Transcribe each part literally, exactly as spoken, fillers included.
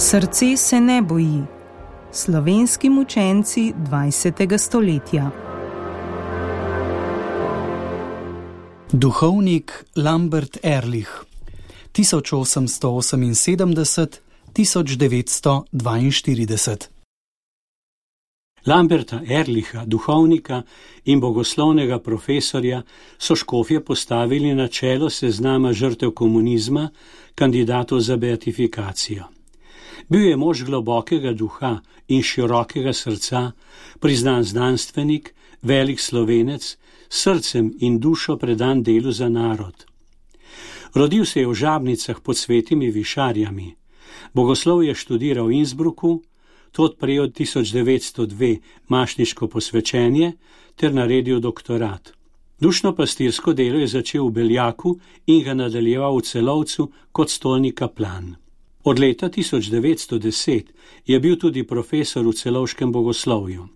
Srce se ne boji. Slovenski mučenci dvajsetega stoletja. Duhovnik Lambert Ehrlich tisoč osemsto oseminsedemdeset do tisoč devetsto dvainštirideset. Lamberta Ehrlicha, duhovnika in bogoslovnega profesorja, so škofje postavili na čelo seznama žrtev komunizma, kandidatov za beatifikacijo. Bil je mož globokega duha in širokega srca, priznan znanstvenik, velik Slovenec, srcem in dušo predan delu za narod. Rodil se je v Žabnicah pod Svetimi Višarjami. Bogoslov je študiral v Innsbrucku, tod prejel tisoč devetsto dve mašniško posvečenje ter naredil doktorat. Dušno pastirsko delo je začel v Beljaku in ga nadaljeval v Celovcu kot stolni kaplan. Od leta tisoč devetsto deset je bil tudi profesor v celovškem bogoslovju.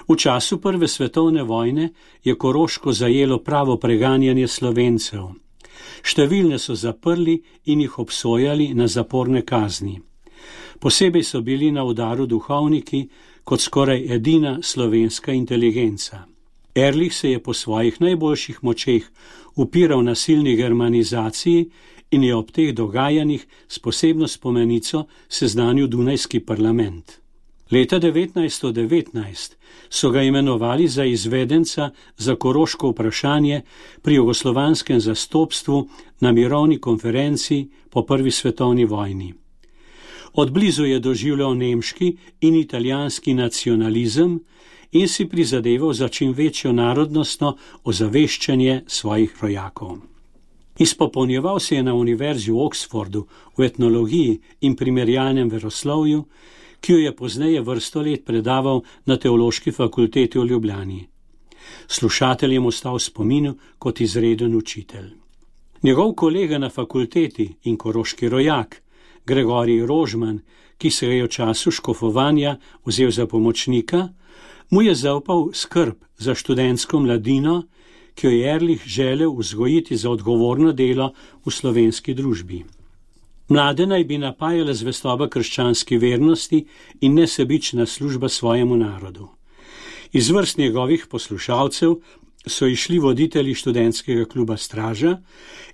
V času prve svetovne vojne je Koroško zajelo pravo preganjanje Slovencev. Številne so zaprli in jih obsojali na zaporne kazni. Posebej so bili na udaru duhovniki kot skoraj edina slovenska inteligenca. Ehrlich se je po svojih najboljših močeh upiral nasilni germanizaciji in je ob teh dogajanjih s posebno spomenico seznanil Dunajski parlament. Leta devetnajststo devetnajst so ga imenovali za izvedenca za koroško vprašanje pri jugoslovanskem zastopstvu na mirovni konferenci po prvi svetovni vojni. Od blizu je doživljal nemški in italijanski nacionalizem in si prizadeval za čim večjo narodnostno ozaveščanje svojih rojakov. Izpopolnjeval se je na univerzi v Oxfordu v etnologiji in primerjalnem veroslovju, ki jo je pozneje vrsto let predaval na Teološki fakulteti v Ljubljani. Slušateljem ostal v spominu kot izreden učitelj. Njegov kolega na fakulteti in koroški rojak, Gregorij Rožman, ki se ga je v času škofovanja vzel za pomočnika, mu je zaupal skrb za študentsko mladino, ki jo je Ehrlich želel vzgojiti za odgovorno delo v slovenski družbi. Mlade naj bi napajala zvestoba krščanski vernosti in nesebična služba svojemu narodu. Iz vrst njegovih poslušalcev so išli voditelji študentskega kluba Straža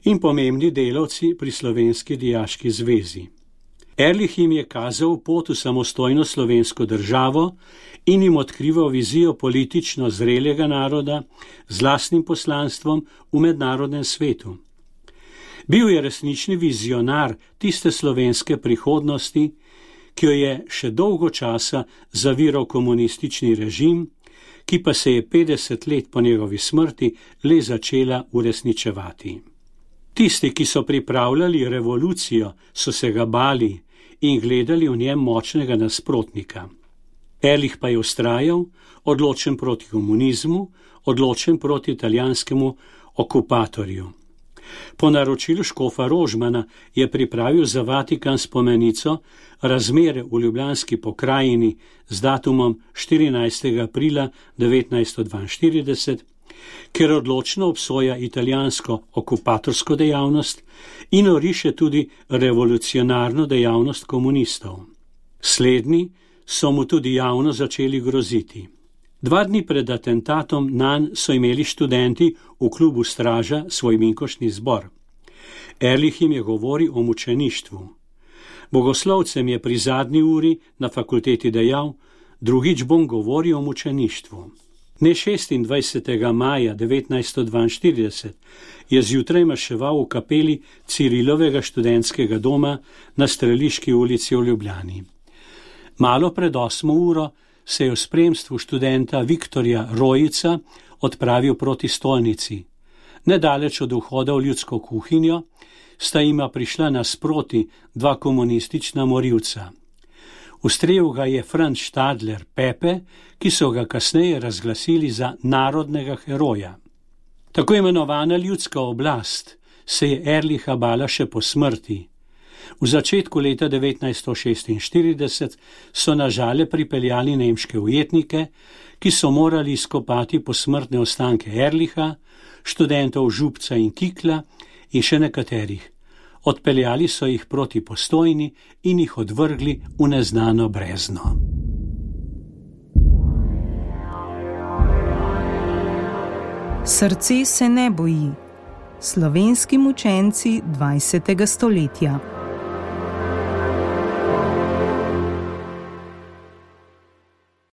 in pomembni delavci pri Slovenski dijaški zvezi. Ehrlich jim je kazal pot v samostojno slovensko državo in jim odkrival vizijo politično zrelega naroda z lastnim poslanstvom v mednarodnem svetu. Bil je resnični vizionar tiste slovenske prihodnosti, ki jo je še dolgo časa zaviral komunistični režim, ki pa se je petdeset let po njegovi smrti le začela uresničevati. Tisti, ki so pripravljali revolucijo, so se ga bali in gledali v njem močnega nasprotnika. Ehrlich pa je vztrajal, odločen proti komunizmu, odločen proti italijanskemu okupatorju. Po naročilu škofa Rožmana je pripravil za Vatikan spomenico Razmere v ljubljanski pokrajini z datumom štirinajstega aprila devetnajststo dvainštirideset, ker odločno obsoja italijansko okupatorsko dejavnost in oriše tudi revolucionarno dejavnost komunistov. Slednji so mu tudi javno začeli groziti. Dva dni pred atentatom nanj so imeli študenti v klubu Straža svoj minkošni zbor. Ehrlich jim je govoril o mučeništvu. Bogoslovcem je pri zadnji uri na fakulteti dejal, drugič bom govoril o mučeništvu. Dne šestindvajsetega maja devetnajststo dvainštirideset je zjutraj maševal v kapeli Cirilovega študentskega doma na Streliški ulici v Ljubljani. Malo pred osmo uro se je v spremstvu študenta Viktorja Rojica odpravil proti stolnici. Nedaleč od vhoda v ljudsko kuhinjo sta jima prišla nasproti dva komunistična morilca. Ustrelil ga je Franz Stadler Pepe, ki so ga kasneje razglasili za narodnega heroja. Tako imenovana ljudska oblast se je Ehrlicha bala še po smrti. V začetku leta devetnajststo šestinštirideset so na Žale pripeljali nemške ujetnike, ki so morali izkopati posmrtne ostanke Ehrlicha, študentov Župca in Kikla in še nekaterih. Odpeljali so jih proti Postojni in jih odvrgli v neznano brezno. Srce se ne boji. Slovenski mučenci dvajsetega stoletja.